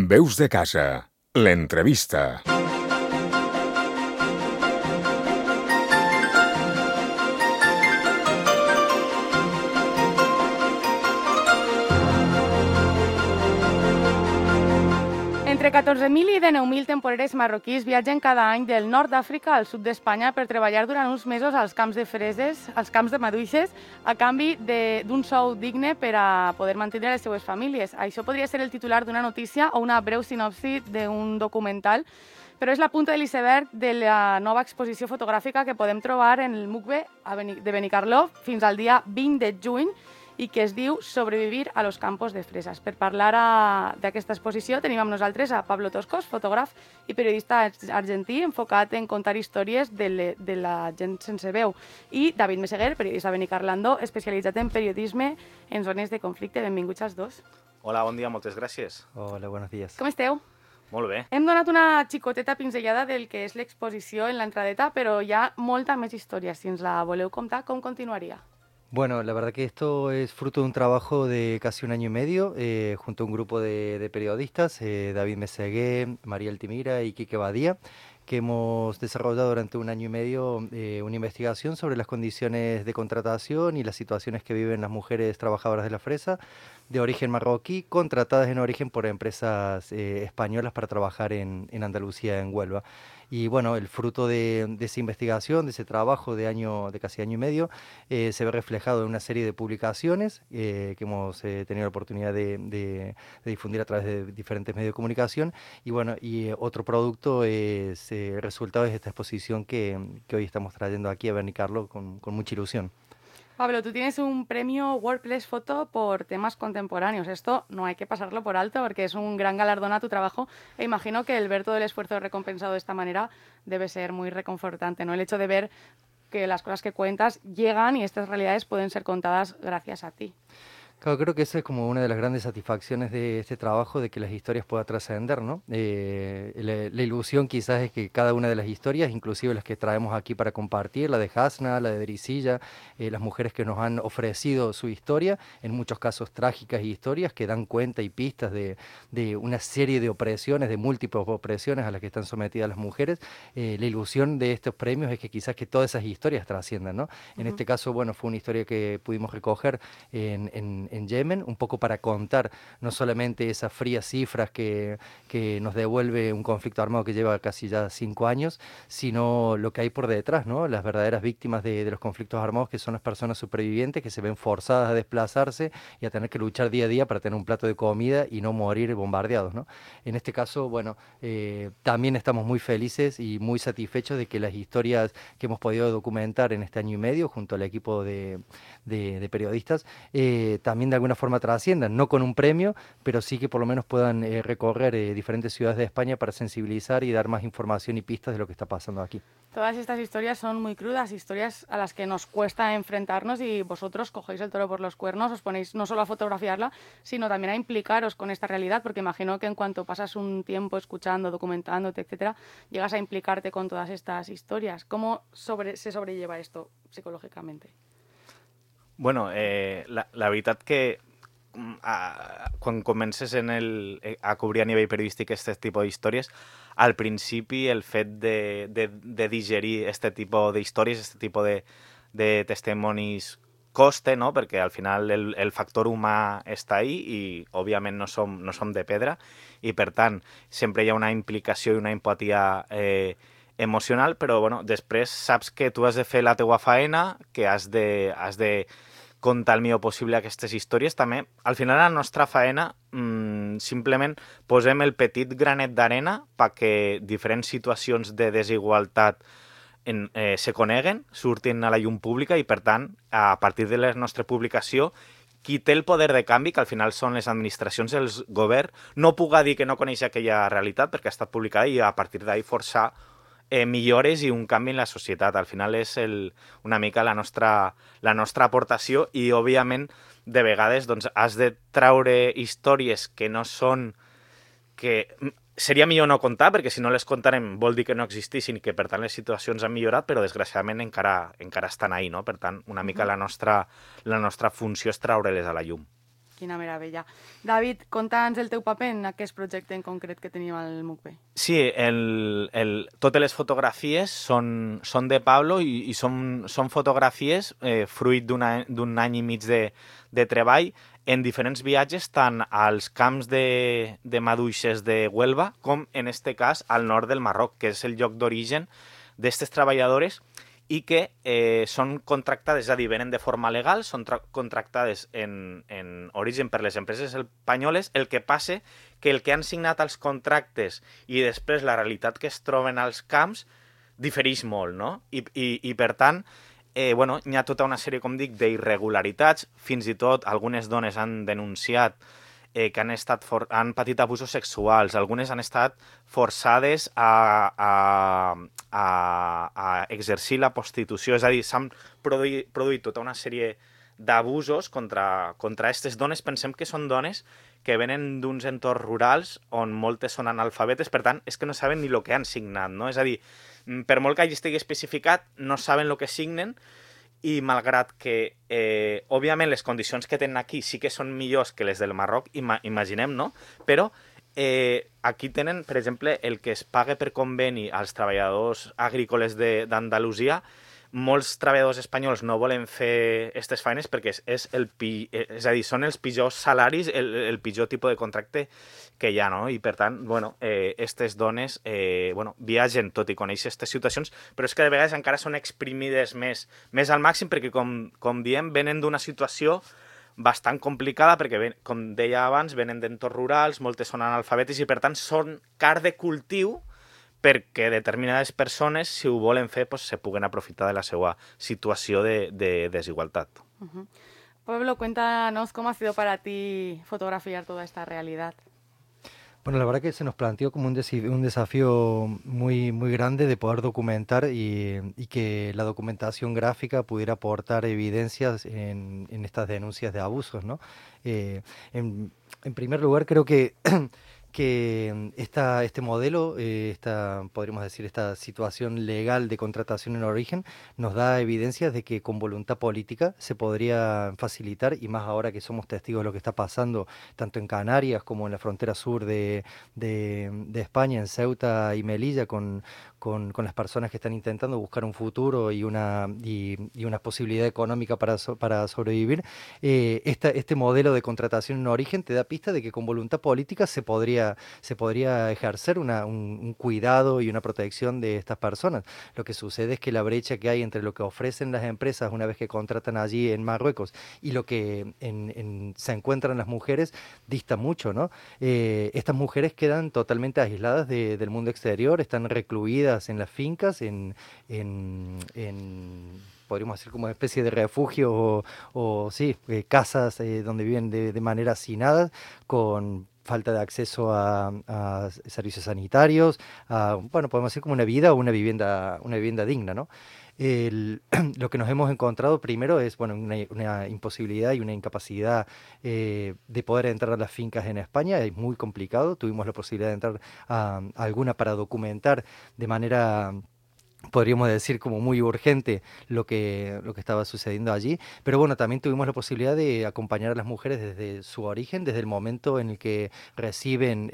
Veus de casa, l'entrevista. Entre 14.000 i 19.000 temporeres marroquís viatgen cada any del nord d'Àfrica al sud d'Espanya per treballar durant uns mesos als camps de freses, als camps de maduixes, a canvi d'un sou digne per a poder mantenir les seues famílies. Això podria ser el titular d'una notícia o una breu sinopsi d'un documental, però és la punta de l'iceberg de la nova exposició fotogràfica que podem trobar en el MUCBE de Benicarló fins al dia 20 de juny, i que es diu Sobrevivir a los campos de fresas. Per parlar d'aquesta exposició tenim amb nosaltres a Pablo Toscos, fotògraf i periodista argentí enfocat en contar històries de la gent sense veu, i David Meseguer, periodista benicarlandó, especialitzat en periodisme en zones de conflicte. Benvinguts als dos. Hola, bon dia, moltes gràcies. Hola, buenos días. Com esteu? Molt bé. Hem donat una xicoteta pinzellada del que és l'exposició en l'entradeta, però hi ha molta més història. Si ens la voleu contar, com continuaria? Bueno, la verdad que esto es fruto de un trabajo de casi un año y medio junto a un grupo de periodistas, David Mesegué, María Altimira y Quique Badía, que hemos desarrollado durante un año y medio una investigación sobre las condiciones de contratación y las situaciones que viven las mujeres trabajadoras de la fresa de origen marroquí, contratadas en origen por empresas españolas para trabajar en Andalucía, en Huelva. Y bueno, el fruto de esa investigación, de ese trabajo de casi año y medio, se ve reflejado en una serie de publicaciones que hemos tenido la oportunidad de difundir a través de diferentes medios de comunicación. Y bueno, otro producto es el resultado de esta exposición que hoy estamos trayendo aquí a Benicarló con mucha ilusión. Pablo, tú tienes un premio Workplace Photo por temas contemporáneos. Esto no hay que pasarlo por alto porque es un gran galardón a tu trabajo, e imagino que el ver todo el esfuerzo recompensado de esta manera debe ser muy reconfortante, ¿no? El hecho de ver que las cosas que cuentas llegan y estas realidades pueden ser contadas gracias a ti. Claro, creo que esa es como una de las grandes satisfacciones de este trabajo, de que las historias puedan trascender, ¿no? La ilusión quizás es que cada una de las historias, inclusive las que traemos aquí para compartir, la de Hasna, la de Dricilla, las mujeres que nos han ofrecido su historia, en muchos casos trágicas historias que dan cuenta y pistas de una serie de opresiones, de múltiples opresiones a las que están sometidas las mujeres. La ilusión de estos premios es que quizás que todas esas historias trasciendan, ¿no? En este caso, bueno, fue una historia que pudimos recoger en Yemen, un poco para contar no solamente esas frías cifras que nos devuelve un conflicto armado que lleva casi ya 5 años, sino lo que hay por detrás, ¿no? Las verdaderas víctimas de los conflictos armados, que son las personas supervivientes que se ven forzadas a desplazarse y a tener que luchar día a día para tener un plato de comida y no morir bombardeados, ¿no? En este caso, bueno, también estamos muy felices y muy satisfechos de que las historias que hemos podido documentar en este año y medio junto al equipo de periodistas también de alguna forma trasciendan, no con un premio, pero sí que por lo menos puedan recorrer diferentes ciudades de España para sensibilizar y dar más información y pistas de lo que está pasando aquí. Todas estas historias son muy crudas, historias a las que nos cuesta enfrentarnos, y vosotros cogéis el toro por los cuernos, os ponéis no solo a fotografiarla, sino también a implicaros con esta realidad, porque imagino que en cuanto pasas un tiempo escuchando, documentándote, etcétera, llegas a implicarte con todas estas historias. ¿Cómo se sobrelleva esto psicològicamente? Bueno, la veritat que quan comences a cobrir a nivell periodístic aquest tipus d'històries, al principi el fet de digerir aquest tipus d'històries, aquest tipus de testimonis costa, no? Perquè al final el factor humà està ahí i òbviament no som de pedra, i per tant sempre hi ha una implicació i una empatia emocional, però bueno, després saps que tu has de fer la teua faena, que has de contar el millor possible aquestes històries. També, al final, la nostra faena, simplement posem el petit granet d'arena perquè diferents situacions de desigualtat se coneguen, surtin a la llum pública, i per tant, a partir de la nostra publicació, qui té el poder de canvi, que al final són les administracions, el govern, no puga dir que no coneix aquella realitat perquè ha estat publicada, i a partir d'ahí forçar millores i un canvi en la societat. Al final és una mica la nostra aportació, i òbviament de vegades doncs, has de traure històries que no són, que seria millor no contar, perquè si no les contarem vol dir que no existissin i que per tant les situacions han millorat, però desgraciadament encara estan ahí, no? Per tant, una mica la nostra funció és traure-les a la llum. Quina meravella. David, conta'ns el teu paper en aquest projecte en concret que tenim al MUCB. Sí, totes les fotografies són de Pablo i són fotografies fruit d'un any i mig de treball en diferents viatges, tant als camps de maduixes de Huelva com, en este cas, al nord del Marroc, que és el lloc d'origen d'aquestes treballadores i que són contractades, és a dir, venen de forma legal, són contractades en origen per les empreses espanyoles. El que passa que el que han signat els contractes i després la realitat que es troben als camps difereix molt, no? I per tant, bueno, hi ha tota una sèrie, com dic, d'irregularitats. Fins i tot algunes dones han denunciat que han patit abusos sexuals, algunes han estat forçades a exercir la prostitució, és a dir, s'han produït tota una sèrie d'abusos contra aquestes dones. Pensem que són dones que venen d'uns entorns rurals on moltes són analfabetes, per tant, és que no saben ni el que han signat, no? És a dir, per molt que hagi estigui especificat, no saben el que signen, i malgrat que, òbviament, les condicions que tenen aquí sí que són millors que les del Marroc, imaginem, no? Però aquí tenen, per exemple, el que es paga per conveni als treballadors agrícoles d'Andalusia. Molts treballadors espanyols no volen fer aquestes feines perquè és a dir, són els pitjors salaris, el pitjor tipus de contracte que hi ha, no? I per tant, bueno, aquestes dones viatgen tot i conèixer aquestes situacions, però és que de vegades encara són exprimides més al màxim perquè, com diem, venen d'una situació bastant complicada perquè, com deia abans, venen d'entorns rurals, moltes són analfabetes i per tant són carn de cultiu perquè determinades persones, si ho volen fer, pues, se puguen aprofitar de la seva situació de desigualtat. Pablo, cuéntanos cómo ha sido para ti fotografiar toda esta realidad. Bueno, la verdad que se nos planteó como un desafío muy, muy grande de poder documentar y que la documentación gráfica pudiera aportar evidencias en estas denuncias de abusos, ¿no? En primer lugar, creo que este modelo, podríamos decir, esta situación legal de contratación en origen, nos da evidencias de que con voluntad política se podría facilitar, y más ahora que somos testigos de lo que está pasando tanto en Canarias como en la frontera sur de España, en Ceuta y Melilla, con las personas que están intentando buscar un futuro y una posibilidad económica para sobrevivir. Este modelo de contratación en origen te da pista de que con voluntad política se podría ejercer un cuidado y una protección de estas personas. Lo que sucede es que la brecha que hay entre lo que ofrecen las empresas una vez que contratan allí en Marruecos y lo que se encuentran las mujeres dista mucho, ¿no? Estas mujeres quedan totalmente aisladas del mundo exterior, están recluidas en las fincas, podríamos decir como una especie de refugio o casas donde viven de manera hacinada, con falta de acceso a servicios sanitarios, podemos decir como una vida o una vivienda digna, ¿no? Lo que nos hemos encontrado primero es una imposibilidad y una incapacidad de poder entrar a las fincas en España. Es muy complicado. Tuvimos la posibilidad de entrar a alguna para documentar de manera, podríamos decir, como muy urgente lo que estaba sucediendo allí, pero bueno, también tuvimos la posibilidad de acompañar a las mujeres desde su origen, desde el momento en el que reciben,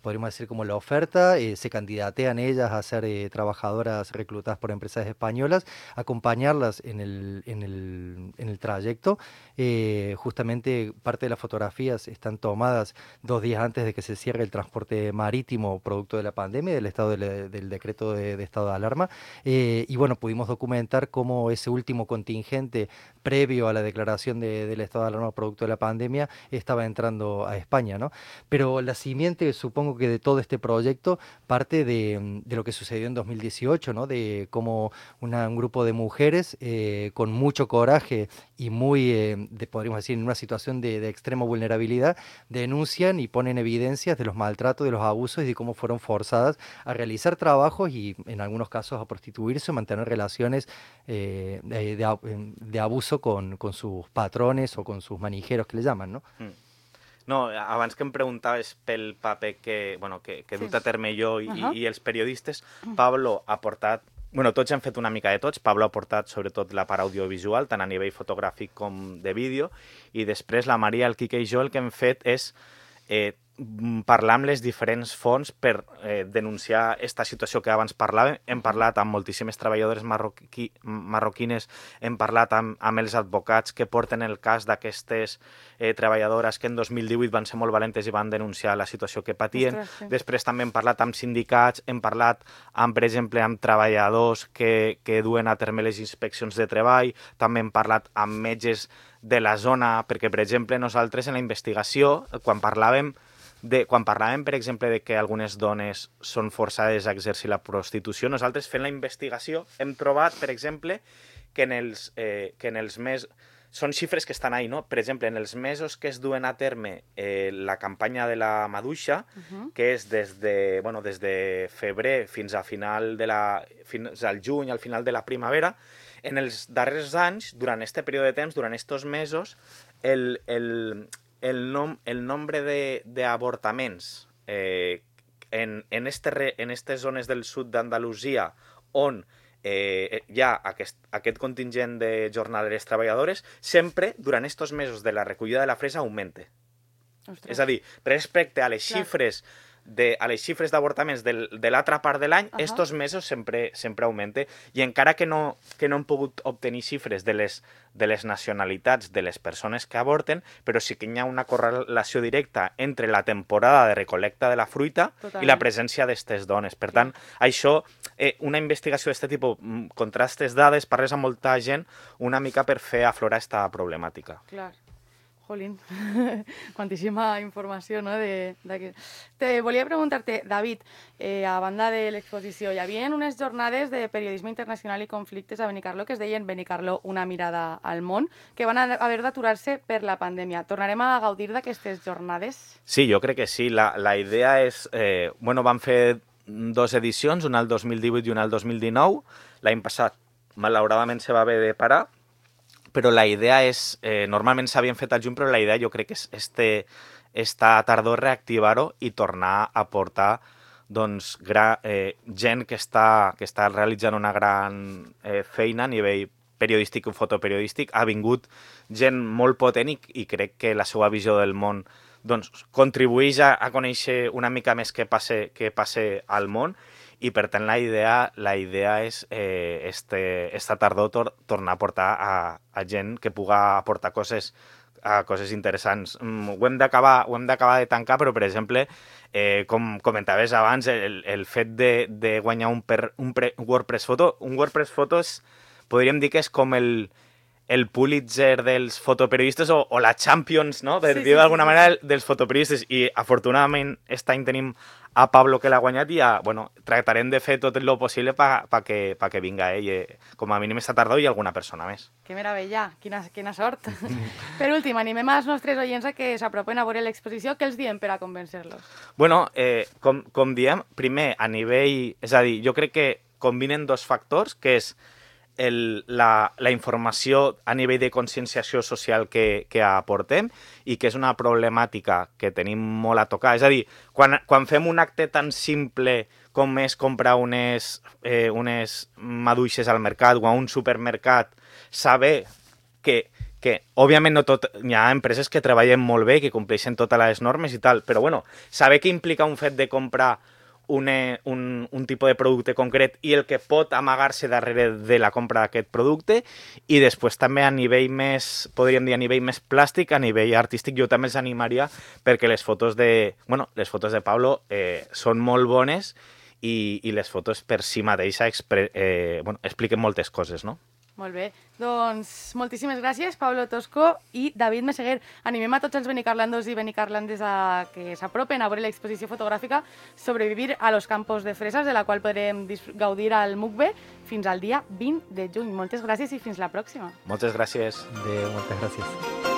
podríamos decir, como la oferta, se candidatean ellas a ser trabajadoras reclutadas por empresas españolas, acompañarlas en el trayecto. Justamente parte de las fotografías están tomadas 2 días antes de que se cierre el transporte marítimo producto de la pandemia, del decreto de estado de alarma. Y bueno, pudimos documentar cómo ese último contingente previo a la declaración del estado de alarma producto de la pandemia estaba entrando a España, ¿no? Pero la simiente, supongo que de todo este proyecto, parte de lo que sucedió en 2018, ¿no? De cómo un grupo de mujeres con mucho coraje y podríamos decir, en una situación de extrema vulnerabilidad, denuncian y ponen evidencias de los maltratos, de los abusos y de cómo fueron forzadas a realizar trabajos y en algunos casos a prostituirse o mantener relaciones de abuso con sus patrones o con sus manijeros, que le llaman, ¿no? No, abans que em preguntaves pel paper que dut a terme jo i els periodistes, Pablo ha portat bueno, tots hem fet una mica de tots. Pablo ha portat sobretot la part audiovisual, tant a nivell fotogràfic com de vídeo, i després la Maria, el Quique i jo el que hem fet és parlar amb les diferents fonts per denunciar aquesta situació que abans parlàvem. Hem parlat amb moltíssimes treballadores marroquines, hem parlat amb els advocats que porten el cas d'aquestes treballadores que en 2018 van ser molt valentes i van denunciar la situació que patien. Ostres, sí. Després també hem parlat amb sindicats, hem parlat, per exemple, amb treballadors que duen a terme les inspeccions de treball, també hem parlat amb metges de la zona, perquè, per exemple, nosaltres en la investigació, quan parlàvem, per exemple, de que algunes dones són forçades a exercir la prostitució, nosaltres fent la investigació hem trobat, per exemple, que en els mesos... Són xifres que estan ahí, no? Per exemple, en els mesos que es duen a terme la campanya de la maduixa, que és des de febrer fins al juny, al final de la primavera, en els darrers anys, durant aquest període de temps, durant aquests mesos, el nombre d'avortaments en aquestes zones del sud d'Andalusia on hi ha aquest contingent de jornaleres treballadores, sempre, durant aquests mesos de la recollida de la fresa, augmenta. Ostres. És a dir, respecte a les xifres d'avortaments de l'altra part de l'any, estos mesos sempre augmenta, i encara que no hem pogut obtenir xifres de les nacionalitats de les persones que avorten, però sí que hi ha una correlació directa entre la temporada de recolecta de la fruita i la presència d'aquestes dones. Per tant, això, una investigació d'aquest tipus, contrastes dades, parles amb molta gent, una mica per fer aflorar aquesta problemàtica. Clar. Jolín, quantíssima informació, no? Volia preguntar-te, David, a banda de l'exposició, hi havia unes jornades de periodisme internacional i conflictes a Benicarló que es deien Benicarló, una mirada al món, que van haver d'aturar-se per la pandèmia. Tornarem a gaudir d'aquestes jornades? Sí, jo crec que sí. La idea és... van fer 2 edicions, una el 2018 i una el 2019. L'any passat, malauradament, se va haver de parar, però la idea és, normalment s'havien fet al juny, però la idea jo crec que és esta tardor reactivar-ho i tornar a portar gent que està realitzant una gran feina a nivell periodístic i fotoperiodístic. Ha vingut gent molt potent i crec que la seva visió del món contribueix a conèixer una mica més què passa al món. I, per tant, la idea és esta tardor tornar a portar a gent que puga aportar coses interessants. Ho hem d'acabar de tancar, però, per exemple, com comentaves abans, el fet de guanyar un WordPress Photo. Un WordPress Photo podríem dir que és com el Pulitzer dels fotoperiodistes o la Champions, no? Per dir d'alguna manera, dels fotoperiodistes. I, afortunadament, aquest any tenim a Pablo, que l'ha guanyat, i tractarem de fer tot el possible perquè vinga ell, com a mínim esta tardor, i alguna persona més. Que meravella, quina sort. Per últim, animem als nostres oients a que s'apropen a veure l'exposició. Què els diem per a convèncer-los? Bueno, com diem, primer, a nivell... És a dir, jo crec que combinen 2 factors, que és la informació a nivell de conscienciació social que aportem i que és una problemàtica que tenim molt a tocar. És a dir, quan fem un acte tan simple com és comprar unes maduixes al mercat o a un supermercat, saber que òbviament no tot, hi ha empreses que treballen molt bé, que compleixen totes les normes i tal, però bueno, saber que implica un fet de comprar un tipus de producte concret i el que pot amagar-se darrere de la compra d'aquest producte, i després també a nivell més, podríem dir, a nivell més plàstic, a nivell artístic, jo també els animaria perquè les fotos de Pablo són molt bones i les fotos per si mateixa expliquen moltes coses, no? Molt bé. Doncs moltíssimes gràcies, Pablo Tosco i David Meseguer. Animem a tots els benicarlandos i benicarlandes a que s'apropen a veure l'exposició fotogràfica Sobrevivir a los campos de fresas, de la qual podrem gaudir al MUCBE fins al dia 20 de juny. Moltes gràcies i fins la pròxima. Moltes gràcies. Moltes gràcies.